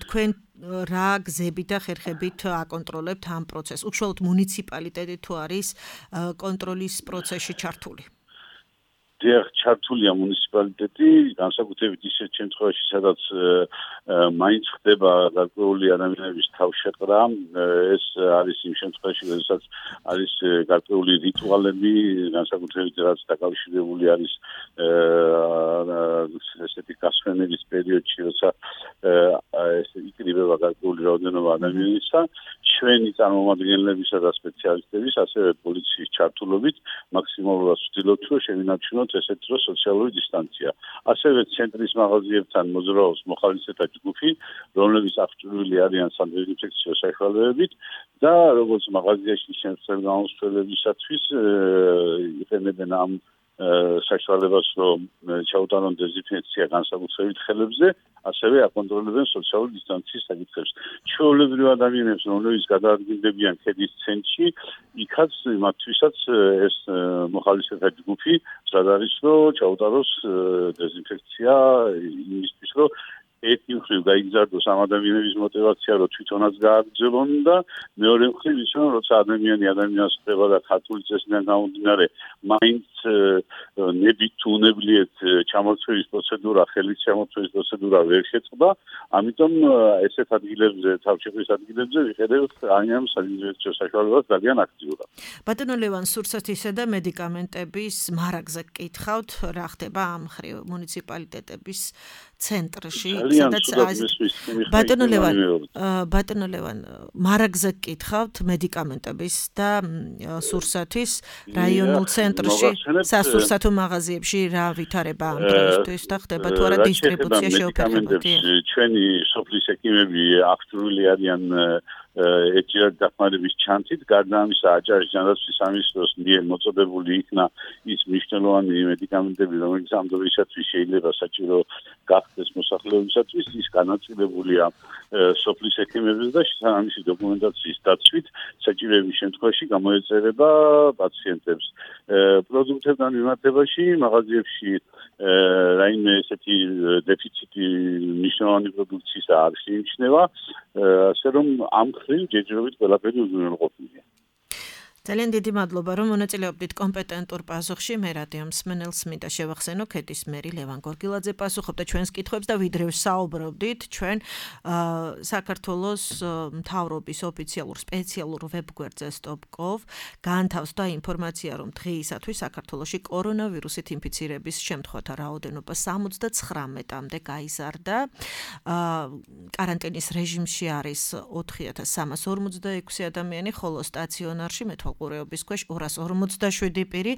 თქვენ რა გზებით და ხერხებით აკონტროლებთ ამ პროცესს? უშუალოდ მუნიციპალიტეტი თუ არის კონტროლის პროცესში ჩართული? ჩართულია მუნიციპალიტეტი, განსაკუთრებით ისეთ შემთხვევაში, სადაც მაინც ხდება გარკვეული ადამიანების თავშეყრა, ეს არის იმ შემთხვევაში, როდესაც არის გარკვეული რიტუალები, განსაკუთრებით რაც დაკავშირებული არის ესეთი გასვენების პერიოდში, როცა ეს იკრიბება გარკვეული რაოდენობა ადამიანისა, ჩვენი წარმომადგენლებისა და სპეციალისტების, ასევე პოლიციის ჩართულობით მაქსიმალურად ვცდილობთ, რომ შევინარჩუნოთ ესეთ დროს სოციალური დისტანცია. ასევე ცენტრის მაღაზიებთან მოძრაობს მოხალისეთა ჯგუფი, რომლებიც აღჭურვილი არიან სადეზინფექციო საშუალებებით და როგორც მაღაზიაში შემცველ გამოსვლელებისათვის იყენებენ ამ საშუალებას, რომ ჩაუტარონ დეზინფექცია განსაკუთრებით ხელებზე, ასევე აკონტროლებენ სოციალური დისტანციის საკითხებს. ჩვეულებრივ ადამიანებს, რომლებიც გადაადგილდებიან ქედის ცენტრში, იქაც მათთვისაც ეს მოხალისეთა ჯგუფი მზად არის, რომ ჩაუტაროს დეზინფექცია იმისთვის, რომ ერთი მხრივ გაიგზავნოს ამ ადამიანების мотиваცია, რომ თვითონაც გააგრძელონ და მეორე მხრივ ის რომ როცა ადამიანს ხდება და ქართული წესიდან გამომდინარე, მაინც ნებით თუ უნებლიეთ ჩამოწვევის პროცედურა, ხელის ჩამოწვევის პროცედურა ვერ შეწყდა, ამიტომ ესეთ ადგილებზე, თავშეყრის ადგილებზე ვიყენებთ ამ სადეზინფექციო საშუალებას ძალიან აქტიურად. ბატონო ლევან, სურსათისა და მედიკამენტების მარაგზე გკითხავთ, რა ხდება ამ მხრივ მუნიციპალიტეტების ცენტრში, სადაც ბატონო ლევან, მარაგზე გკითხავთ მედიკამენტების და სურსათის რაიონულ ცენტრში, სასურსათო მაღაზიებში რა ვითარება ამ დროისთვის და ხდება თუ არა დისტრიბუცია შეუფერხებოდი? ჩვენი სოფლის ექიმები აქტიური არიან ეჭირად დახმარების ჩანთით, გარდა ამისა აჭარის ჯანდაცვის სამინისტროს მიერ მოწოდებული იქნა ის მნიშვნელოვანი მედიკამენტები, რომელიც ამ დროისათვის შეიძლება საჭირო გახდეს მოსახლეობისათვის, ის განაწილებულია სოფლის ექიმების და შესაბამისი დოკუმენტაციის დაცვით საჭიროების შემთხვევაში გამოეწერება პაციენტებს. პროდუქტებთან მიმართებაში მაღაზიებში რაიმე ესეთი დეფიციტი მნიშვნელოვანი პროდუქციის არ შეიმჩნევა, ასე რომ ამ მხრივ ჯერჯერობით ყველაფერი უზრუნველყოფილია. ძალიან დიდი მადლობა, რომ მონაწილეობდით კომპეტენტურ პასუხში. მე რადიო მსმენელს მინდა შევახსენო, ქედის მერი ლევან გორგილაძე პასუხობდა ჩვენს კითხვებს და ვიდრე ვსაუბრობდით, ჩვენ საქართველოს მთავრობის ოფიციალურ სპეციალურ ვებგვერდზე Stop.gov განთავსდა ინფორმაცია, რომ დღეისათვის საქართველოში კორონავირუსით ინფიცირების შემთხვევათა რაოდენობა 79-მდე გაიზარდა. კარანტინის რეჟიმში არის 4346 ადამიანი, ხოლო სტაციონარში მეთვალყურეობის ქვეშ 247 პირი.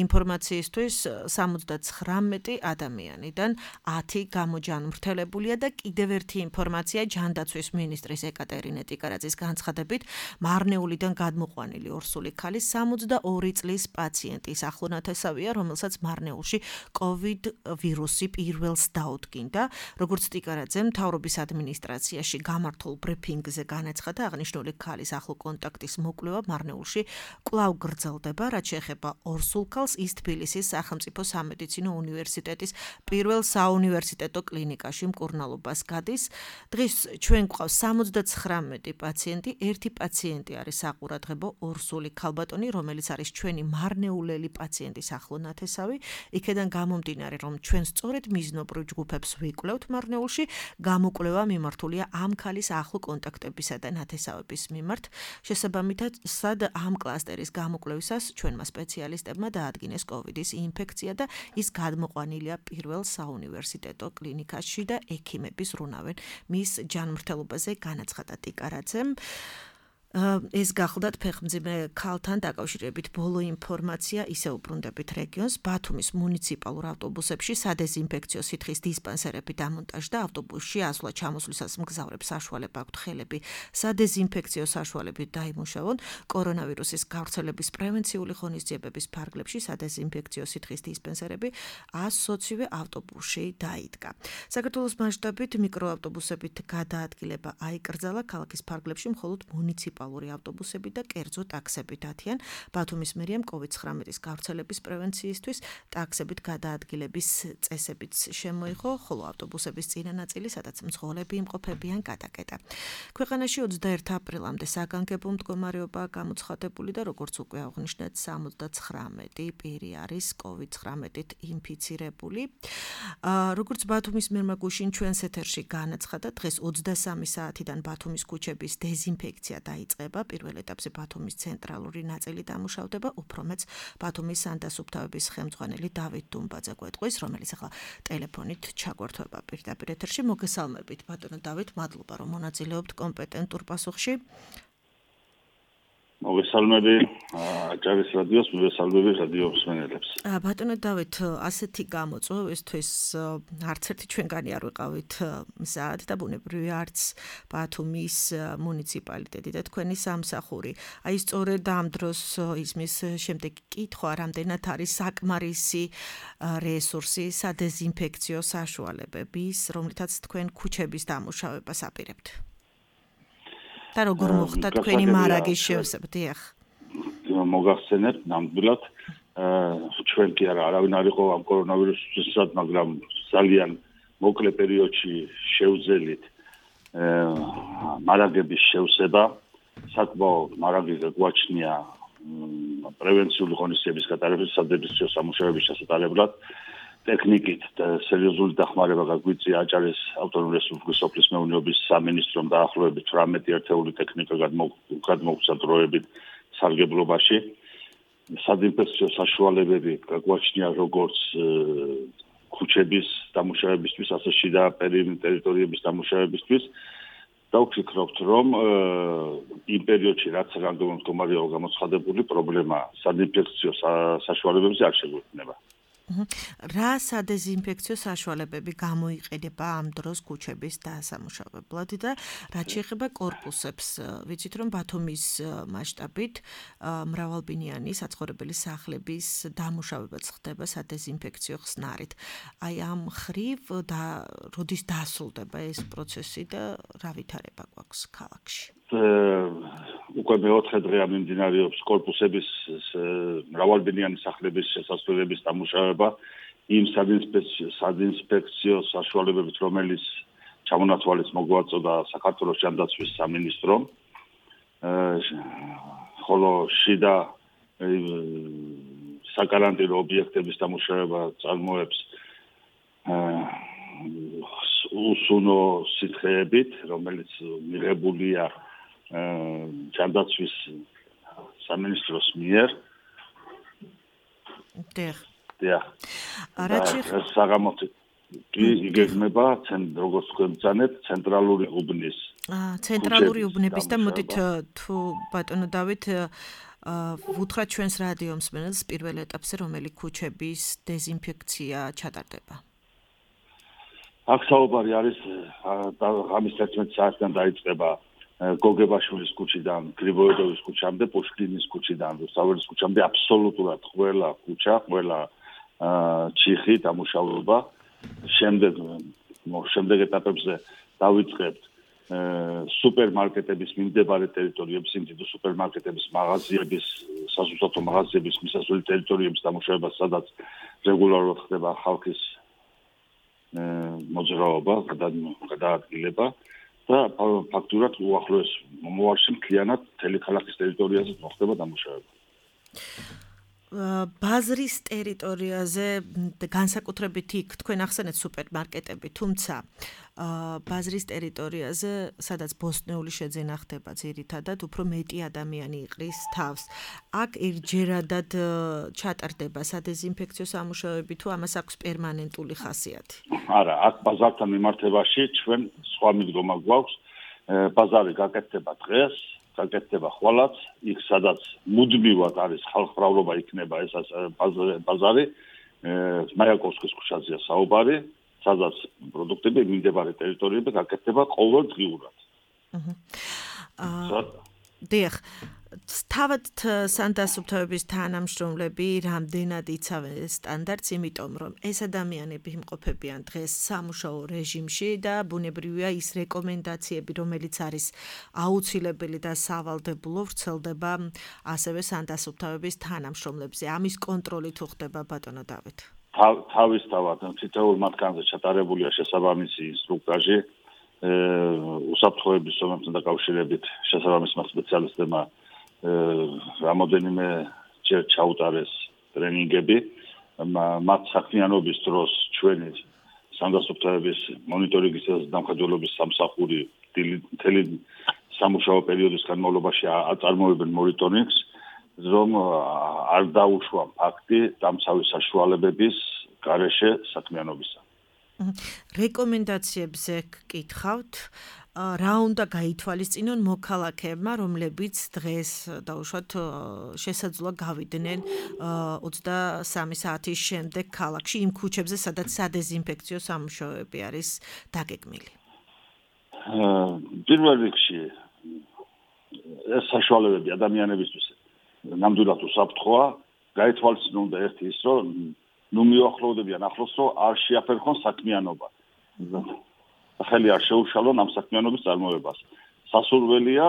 ინფორმაციისთვის 79 ადამიანიდან 10 გამოჯანმრთელებულია და კიდევ ერთი ინფორმაცია ჯანდაცვის მინისტრის ეკატერინე ტიკარაძის განცხადებით, მარნეულიდან გადმოყვანილი ორსული ქალის 62 წლის პაციენტის ახლონათესავია, რომელსაც მარნეულში COVID ვირუსი პირველს დაუდგინდა. როგორც ტიკარაძემ მთავრობის ადმინისტრაციაში გამართულ ბრიფინგზე განაცხადა, აღნიშნული ქალის ახლო კონტაქტის მოკვლევა მარნეულში კვლავ გრძელდება, რაც შეეხება ორსულ ქალს, ის თბილისის სახელმწიფო სამედიცინო უნივერსიტეტის პირველ საუნივერსიტეტო კლინიკაში მკურნალობას გადის. დღეს ჩვენ გვყავს 79 პაციენტი, ერთი პაციენტი არის საყურადღებო ორსული ქალბატონი, რომელიც არის ჩვენი მარნეულელი პაციენტის ახლონათესავი. იქედან გამომდინარე, რომ ჩვენ სწორედ მიზნობრივ ჯგუფებს ვიკვლევთ მარნეულში, გამოკვლევა მიმართულია ამ ქალის ახლო კონტაქტებისა და ნათესავების მიმართ. შესაბამისად, ამ კლასტერის გამოკვლევისას ჩვენმა სპეციალისტებმა დაადგინეს COVID-ის ინფექცია და ის გადმოყვანილია პირველ საუნივერსიტეტო კლინიკაში და ექიმები ზრუნავენ მის ჯანმრთელობაზე, განაცხადა ტიკარაძემ. ეს გახლდათ ფეხმძიმე ქალთან დაკავშირებით ბოლო ინფორმაცია, ისე უბრუნდებით რეგიონს. ბათუმის მუნიციპალურ ავტობუსებში სადეზინფექციო სითხის დისპანსერები დამონტაჟდა. ავტობუსში ასვლა ჩამოსვლისას მგზავრებს საშუალება აქვთ ხელები სადეზინფექციო საშუალებით დაიმუშავონ. კორონავირუსის გავრცელების პრევენციული ღონისძიებების ფარგლებში სადეზინფექციო სითხის დისპანსერები 120-ვე ავტობუსში დაიდგა. საქართველოს მასშტაბით მიკროავტობუსებით გადაადგილება აიკრძალა. ქალაქის ფარგლებში მხოლოდ მუნიციპალური ავტობუსები და კერძო ტაქსები დათიან. ბათუმის მერიამ COVID-19-ის გავრცელების პრევენციისთვის ტაქსებით გადაადგილების წესებიც შემოიღო, ხოლო ავტობუსების წინა ნაწილი, სადაც მძღოლები იმყოფებიან, გადაკეტა. ქვეყანაში 21 აპრილამდე საგანგებო მდგომარეობაა გამოცხადებული და როგორც უკვე აღნიშნეთ, 79 პირი არის COVID-19-ით ინფიცირებული. როგორც ბათუმის მერმა გუშინ ჩვენს ეთერში განაცხადა, დღეს 23 საათიდან ბათუმის ქუჩების დეზინფექცია დაიწყება. პირველ ეტაპზე ბათუმის ცენტრალური ნაწილი დამუშავდება, უფრო მეც ბათუმის სანდასუფთავების ხელმძღვანელი დავით დუმბაძე გვეტყვის, რომელიც ახლა ტელეფონით ჩაგვერთვება პირდაპირ ეთერში. მოგესალმებით, ბატონო დავით, მადლობა რომ მონაწილეობთ კომპეტენტურ პასუხში. მოგესალმები აჭარის რადიოს, მოგესალმები რადიო მსმენელებს. ბატონო დავით, ასეთი გამოწვევა ესთვის არც ერთი ჩვენგანი არ ვიყავით მზად და ბუნებრივია არც ბათუმის მუნიციპალიტეტი და თქვენი სამსახური. აი სწორედ ამ დროს ისმის შემდეგი კითხვა, რამდენად არის საკმარისი რესურსი სადეზინფექციო საშუალებების, რომლითაც თქვენ ქუჩების დამუშავებას აპირებთ. და როგორ მოხდა თქვენი მარაგის შევსება? მოგახსენებთ ნამდვილად, ჩვენ კი არავინ არ იყო ამ კორონავირუსისას, მაგრამ ძალიან მოკლე პერიოდში შევძელით მარაგების შევსება. საკმაოდ მარაგი გვაჩნია პრევენციული ღონისძიების გატარებისას, სადეზინფექციო სამუშაოების ჩასატარებლად. ტექნიკით და სერიოზული დახმარება გაგვიწია აჭარის ავტონომიური რესპუბლიკის სოფლის მეურნეობის სამინისტრომ დაახლოებით 18 ერთეული ტექნიკა გადმოგვცა დროებით სარგებლობაში. სადეზინფექციო საშუალებები გაგვაჩნია როგორც ქუჩების დამუშავებისთვის, ასე შიდა ტერიტორიების დამუშავებისთვის. და ვფიქრობთ, რომ იმ პერიოდში რაც რანგო მდგომარეობა გამოცხადებული, პრობლემა სადეზინფექციო საშუალებებზე არ შეგვექნება. რა სადეზინფექციო საშუალებები გამოიყენება ამ დროს ქუჩების დასამუშავებლად და რაც შეეხება კორპუსებს, ვიცით რომ ბათუმის მასშტაბით მრავალბინიანი საცხოვრებელი სახლების დამუშავებაც ხდება სადეზინფექციო ხსნარით. აი ამ ხრივ და როდის დასრულდება ეს პროცესი და რა ვითარება გვაქვს ქალაქში? უკვე მეოთხე დღეა მიმდინარეობს კორპუსების მრავალბინიანი სახლების შესასვლელების დამუშავება იმ სადეზინფექციო საშუალებებით, რომელიც ჩამონაცვალეს მოგვაწოდა საქართველოს ჯანდაცვის სამინისტრომ. ხოლო შიდა საკარანტინო ობიექტების დამუშავება წარმოებს უსუნო სითხეებით, რომელიც მიღებულია ჯანდაცვის სამინისტროს მიერ. დიახ. საღამოთი კი იგეგმება როგორც თქვენ ბრძანეთ ცენტრალური უბნის. ცენტრალური უბნების და მოდით თუ ბატონო დავით ვუთხრათ ჩვენს რადიო მსმენელს პირველ ეტაპზე რომელი ქუჩების დეზინფექცია ჩატარდება. აქ საუბარი არის ღამის 11 საათიდან დაიწყება გოგებაშვილის ქუჩიდან, გრიბოედოვის ქუჩამდე, პუშკინის ქუჩიდან, რუსთაველის ქუჩამდე აბსოლუტურად ყველა ქუჩა, ყველა ჩიხი დამუშავება. შემდეგ ეტაპებზე დავიწყებთ სუპერმარკეტების მიმდებარე ტერიტორიების, იმდიდო სუპერმარკეტების, მაღაზიების, სასუსათო მაღაზიების მისასვლელი ტერიტორიების დამუშავება, სადაც რეგულარულად ხდება ხალხის მოძრაობა, გადაადგილება და ფაქტურად უახლოეს მომავალში მთლიანად მთელი ქალაქის ტერიტორიაზე მოხდება დამუშავება. ბაზრის ტერიტორიაზე განსაკუთრებით იქ თქვენ ახსენეთ სუპერმარკეტები, თუმცა ბაზრის ტერიტორიაზე, სადაც ბოსტნეული შეძენა ხდება ძირითადად, უფრო მეტი ადამიანი იყრის თავს. აქ ერთჯერადად ჩატარდება სადეზინფექციო სამუშაოები თუ ამას აქვს პერმანენტული ხასიათი? არა, აქ ბაზართან მიმართებაში ჩვენ სხვა მიდგომა გვაქვს. ბაზარი გაკეთდება დღეს, გაკეთდება ხვალაც, იქ სადაც მუდმივად არის ხალხმრავლობა იქნება ეს ბაზარი, მაიაკოვსკის ქუჩაზეა საუბარი, სადაც პროდუქტები მიმდებარე ტერიტორიები გაკეთდება ყოველდღიურად. დიახ. თავად სანდასუფთავების თანამშრომლები რამდენად იცავენ სტანდარტს, იმიტომ რომ ეს ადამიანები იმყოფებიან დღეს სამუშაო რეჟიმში და ბუნებრივია ის რეკომენდაციები, რომელიც არის აუცილებელი და სავალდებულო, ვრცელდება ასევე სანდასუფთავების თანამშრომლებზე. ამის კონტროლი თუ ხდება ბატონო დავით? თავისთავად თითოეულ მათგანზე ჩატარებულია შესაბამისი ინსტრუქტაჟი უსაფრთხოების ზონებთან დაკავშირებით შესაბამისმა სპეციალისტებმა რამოდენიმე ჯერ ჩაუტარეს ტრენინგები მათ საქმიანობის დროს ჩვენი სანდასუფთავების მონიტორინგის და დამხმარებლობის სამსახური მთელი სამუშაო პერიოდის განმავლობაში აწარმოებენ მონიტორინგს, რომ არ დაუშვა ფაქტი დამცავი საშუალებების გარეშე საქმიანობისა. რეკომენდაციებზე გკითხავთ, რა უნდა გაითვალისწინონ მოქალაქეებმა, რომლებიც დღეს დაუშვათ შესაძლოა გავიდნენ 23 საათის შემდეგ ქალაქში იმ ქუჩებზე, სადაც სადეზინფექციო სამუშაოები არის დაგეგმილი. პირველ რიგში ეს საშუალებები ადამიანებისთვის ნამდვილად უსაფრთხოა, გაითვალისწინონ და ერთი ის, რომ მიუახლოვდებიან ახლოს, რომ არ შეაფერხონ საქმიანობა. ხელი არ შეუშალონ ამ საქმიანობის წარმოებას. სასურველია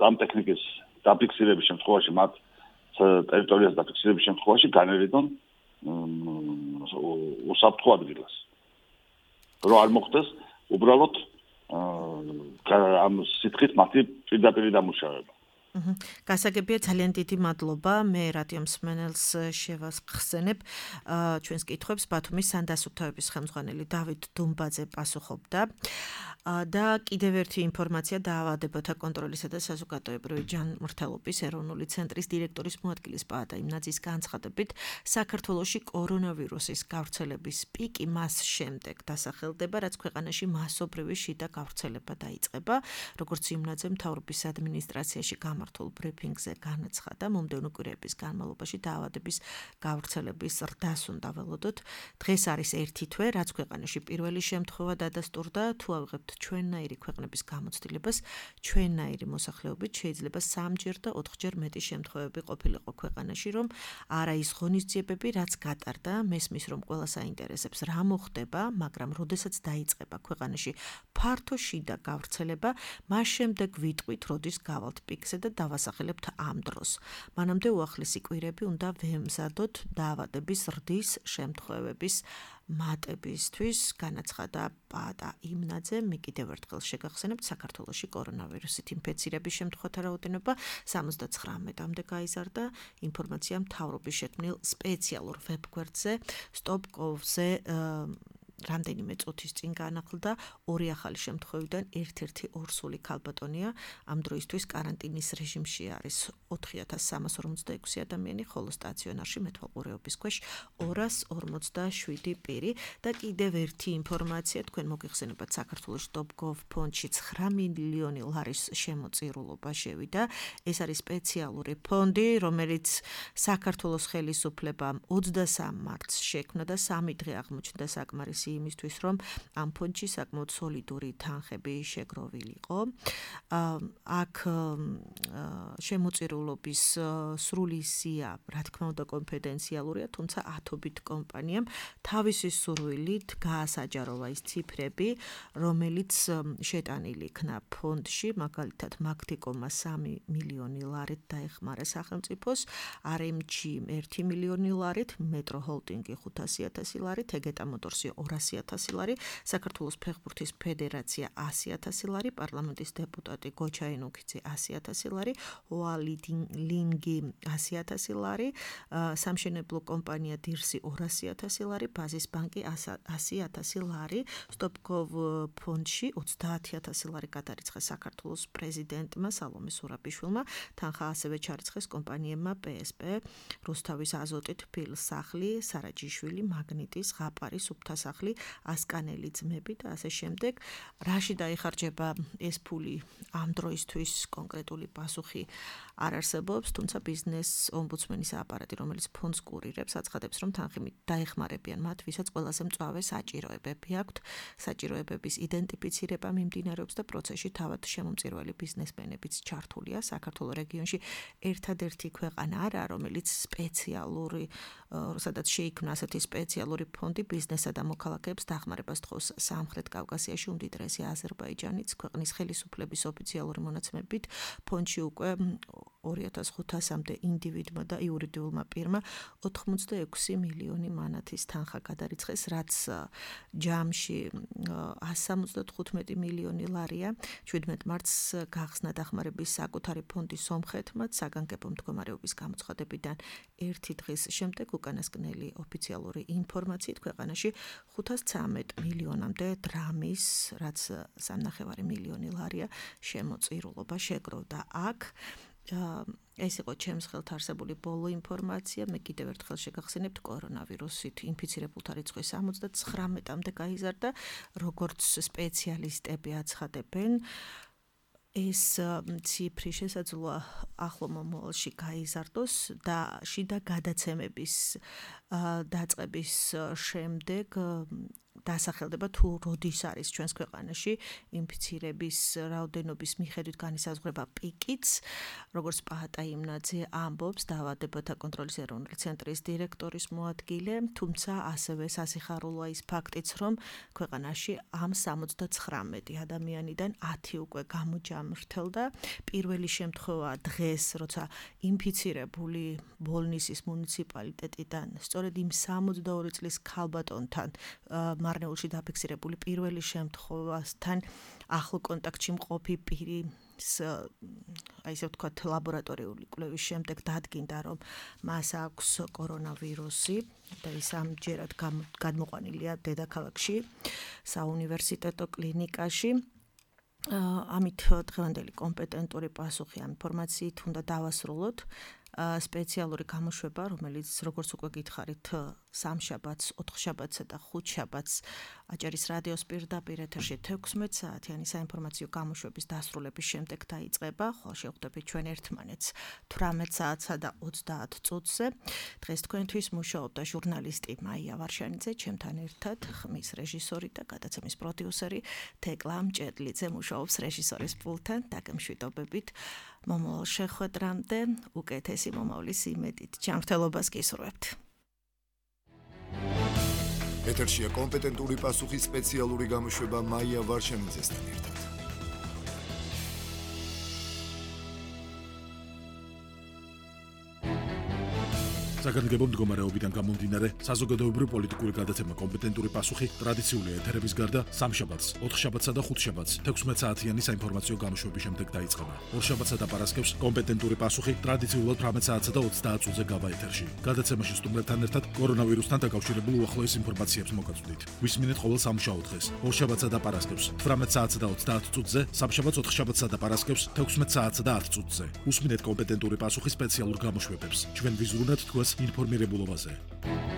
ამ ტექნიკის დაფიქსირების შემთხვევაში, მათ ტერიტორიას დაფიქსირების შემთხვევაში განერიდონ უსაფრთხო ადგილას. რომ არ მოხდეს უბრალოდ ამ სითხით მათი პირდაპირ დამუშავება. გასაგებია, ძალიან დიდი მადლობა. მე რადიო მსმენელს შევახსენებ ჩვენს კითხვებს. ბათუმის სანდასუფთავების ხელმძღვანელი დავით დუმბაძე პასუხობდა. და კიდევ ერთი ინფორმაცია დაავადებათა კონტროლისა და საზოგადოებრივი ჯანმრთელობის ეროვნული ცენტრის დირექტორის მოადგილის პაატა იმნაძის განცხადებით, საქართველოში კორონავირუსის გავრცელების პიკი მას შემდეგ დასახელდება, რაც ქვეყანაში მასობრივი შიდა გავრცელება დაიწყება. როგორც იმნაძე მთავრობის ადმინისტრაციაში გამართულ ბრიფინგზე განაცხადა, მომდევნო კვირების განმავლობაში დაავადების გავრცელების ზრდას უნდა ველოდოთ. დღეს არის ერთი თვე, რაც ქვეყანაში პირველი შემთხვევა დადასტურდა. თუ ავიღებთ ჩვენნაირი ქვეყნების გამოცდილებას, ჩვენნაირი მოსახლეობით შეიძლება 3-ჯერ და 4-ჯერ მეტი შემთხვევები ყოფილიყო ქვეყანაში, რომ არა ის ღონისძიებები, რაც გატარდა, მესმის რომ ყველას აინტერესებს რა მოხდება, მაგრამ როდესაც დაიწყება ქვეყანაში ფართო შიდა გავრცელება, მას შემდეგ ვიტყვით, როდის გავალთ პიკზე და დავასახელებთ ამ დროს. მანამდე უახლესი კვირები უნდა ვემზადოთ დაავადების ზრდის შემთხვევების მატებისთვის, განაცხადა პაატა იმნაძე. მე კიდევ ერთხელ შეგახსენებთ, საქართველოში კორონავირუსით ინფექცირების შემთხვევათა რაოდენობა 79-მდე გაიზარდა. ინფორმაცია მთავრობის შექმნილ სპეციალურ ვებგვერდზე stop.gov-ზე რამდენიმე წუთის წინ განახლდა. 2 ახალი შემთხვევიდან ერთ-ერთი ორსული ქალბატონია. ამ დროისთვის კარანტინის რეჟიმში არის 4346 ადამიანი, ხოლო სტაციონარში მეთვალყურეობის ქვეშ 247 პირი. და კიდევ ერთი ინფორმაცია, თქვენ მოგიხსენებათ, საქართველოს stop.gov ფონდში 9 მილიონი ლარის შემოწირულობა შევიდა. ეს არის სპეციალური ფონდი, რომელიც საქართველოს ხელისუფლებამ 23 მარტს შექმნა და 3 დღე აღმოჩნდა საკმარისი იმისთვის, რომ ამ ფონდში საკმაოდ სოლიდური თანხები შეგროვილიყო. აქ შემოწირულობის სრული სია, რა თქმა უნდა, კონფიდენციალურია, თუმცა ათობით კომპანიამ თავისი სურვილით გაასაჯაროვა ის ციფრები, რომელიც შეტანილი იქნა ფონდში, მაგალითად, მაგთიკომმა 3 მილიონი ლარით დაეხმარა სახელმწიფოს, RMG 1 მილიონი ლარით, მეტრო ჰოლდინგი 500.000 ლარით, ეგეტა მოტორსი 200.000 ლარი, საქართველოს ფეხბურთის ფედერაცია 100.000 ლარი, პარლამენტის დეპუტატი გოჩა ენუქიძე 100.000 ლარი, ოალინგი 100.000 ლარი, სამშენებლო კომპანია დირსი 200.000 ლარი, ბაზის ბანკი 100.000 ლარი, stop.gov ფონდში 30.000 ლარი გადარიცხეს საქართველოს პრეზიდენტმა სალომე სურაბიშვილმა, თანხა ასევე ჩარიცხეს კომპანიებმა PSP, რუსთავის აზოტი, თბილსახლი, სარაჯიშვილი, მაგნიტი, ზღაპარი, სუფთასახლი, ასკანელი ძმები და ასე შემდეგ. რაში დაიხარჯება ეს ფული ამ დროისთვის კონკრეტული პასუხი არ არსებობს, თუმცა ბიზნეს ომბუდსმენის აპარატი, რომელიც ფონდს კურირებს, აცხადებს, რომ თანხი დაეხმარებიან მათ, ვისაც ყველაზე მწვავე საჭიროებები აქვთ. საჭიროებების იდენტიფიცირება მიმდინარეობს და პროცესში თავად შემომწირველი ბიზნესმენებიც ჩართულია. საქართველოს რეგიონში ერთადერთი ქვეყანა არა, რომელიც სპეციალური, სადაც შეიქმნა ასეთი სპეციალური ფონდი ბიზნესსა და მოქალაქეებს დახმარებას თხოვს. სამხრეთ კავკასიაში უმდიდრესი აზერბაიჯანიც ქვეყნის ხელისუფლების ოფიციალური მონაცემებით ფონდში უკვე 2500-მდე ინდივიდმა და იურიდიულმა პირმა 86 მილიონი მანათის თანხა გადარიცხეს, რაც ჯამში 175 მილიონი ლარია. 17 მარტს გახსნა დახმარების საკუთარი ფონდის სომხეთმა, საგანგებო მდგომარეობის გამოცხადებიდან ერთი დღის შემდეგ უკანასკნელი ოფიციალური ინფორმაციით ქვეყანაში 513 მილიონამდე დრამის, რაც 3.5 მილიონი ლარია შემოწირულობა შეგროვდა აქ. ეს იყო ჩემს ხელთ არსებული ბოლო ინფორმაცია. მე კიდევ ერთხელ შეგახსენებთ, კორონავირუსით ინფიცირებულთა რიცხვი 79-მდე გაიზარდა, როგორც სპეციალისტები აცხადებენ. ეს ციფრი შესაძლოა ახლო მომავალში გაიზარდოს და შიდა გადაცემების დაწყების შემდეგ დასახელდება თუ როდის არის ჩვენს ქვეყანაში ინფიცირების რაოდენობის მიხედვით განისაზღვრება პიკიც, როგორც პაატა იმნაძე ამბობს, დაავადებათა კონტროლის ეროვნული ცენტრის დირექტორის მოადგილე, თუმცა ასევე სასიხარულოა ის ფაქტიც, რომ ქვეყანაში ამ 79 ადამიანიდან 10 უკვე გამოჯამრთელდა. პირველი შემთხვევა დღეს, როცა ინფიცირებული ბოლნისის მუნიციპალიტეტიდან სწორედ იმ 62 წლის ქალბატონთან მარნეულში დაფიქსირებული პირველი შემთხვევასთან ახლო კონტაქტში მყოფი პირი, აი ესე ვთქვათ, ლაბორატორიული კვლევის შემდეგ დადგინდა, რომ მას აქვს კორონავირუსი და ის ამჯერად გადმოყვანილია დედაქალაქში, საუნივერსიტეტო კლინიკაში. ამით დღევანდელი კომპეტენტური პასუხი ამ ინფორმაციით უნდა დავასრულოთ. სპეციალური გამოშვება, რომელიც როგორც უკვე გითხარით, სამშაბათს, ოთხშაბათსა და ხუთშაბათს აჭარის რადიოს პირდაპირ ეთერში 16 საათიანი საინფორმაციო გამოშვების დასრულების შემდეგ დაიწყება, ხოლო შევხვდებით ჩვენ ერთმანეთს 18 საათსა და 30 წუთზე. დღეს თქვენთვის მუშაობდა ჟურნალისტი მაია ვარშანიძე, ჩემთან ერთად ხმის რეჟისორი და გადაცემის პროდიუსერი თეკლა მჭედლიძე მუშაობს რეჟისორის პულტთან. დაგემშვიდობებით მომავალ შეხვედრამდე, უკეთესი მომავლის იმედით. ჯანმრთელობას გისურვებთ. ეთერშია კომპეტენტური პასუხის სპეციალური გამოშვება მაია ვარშანიძესთან ერთად. საგანგებო მდგომარეობიდან გამომდინარე, საზოგადოებრივ პოლიტიკური გადაცემა კომპეტენტური პასუხი ტრადიციული ეთერების გარდა სამშაბათს, 4 შაბათსა და 5 შაბათს 16 საათიანი საინფორმაციო გამოშვების შემდეგ დაიწყება. ორშაბათსა და პარასკევს კომპეტენტური პასუხი ტრადიციულად 18 საათსა და 30 წუთზე გავა ეთერში. გადაცემაში სტუმრებთან ერთად კორონავირუსთან დაკავშირებულ უახლოეს ინფორმაციებს მოგაწვდით. გვისმინეთ ყოველ სამუშაო დღეს, ორშაბათსა და პარასკევს 18 საათსა და 30 წუთზე, სამშაბათს 4 შაბათსა და პარასკევს 16 საათსა და 10 წუთზე. უსმინეთ კომპეტენტური პასუხი სპეციალურ გამოშვებებს. ჩვენ ვიზრუნებთ თქვენს ინფორმირებულობაზე.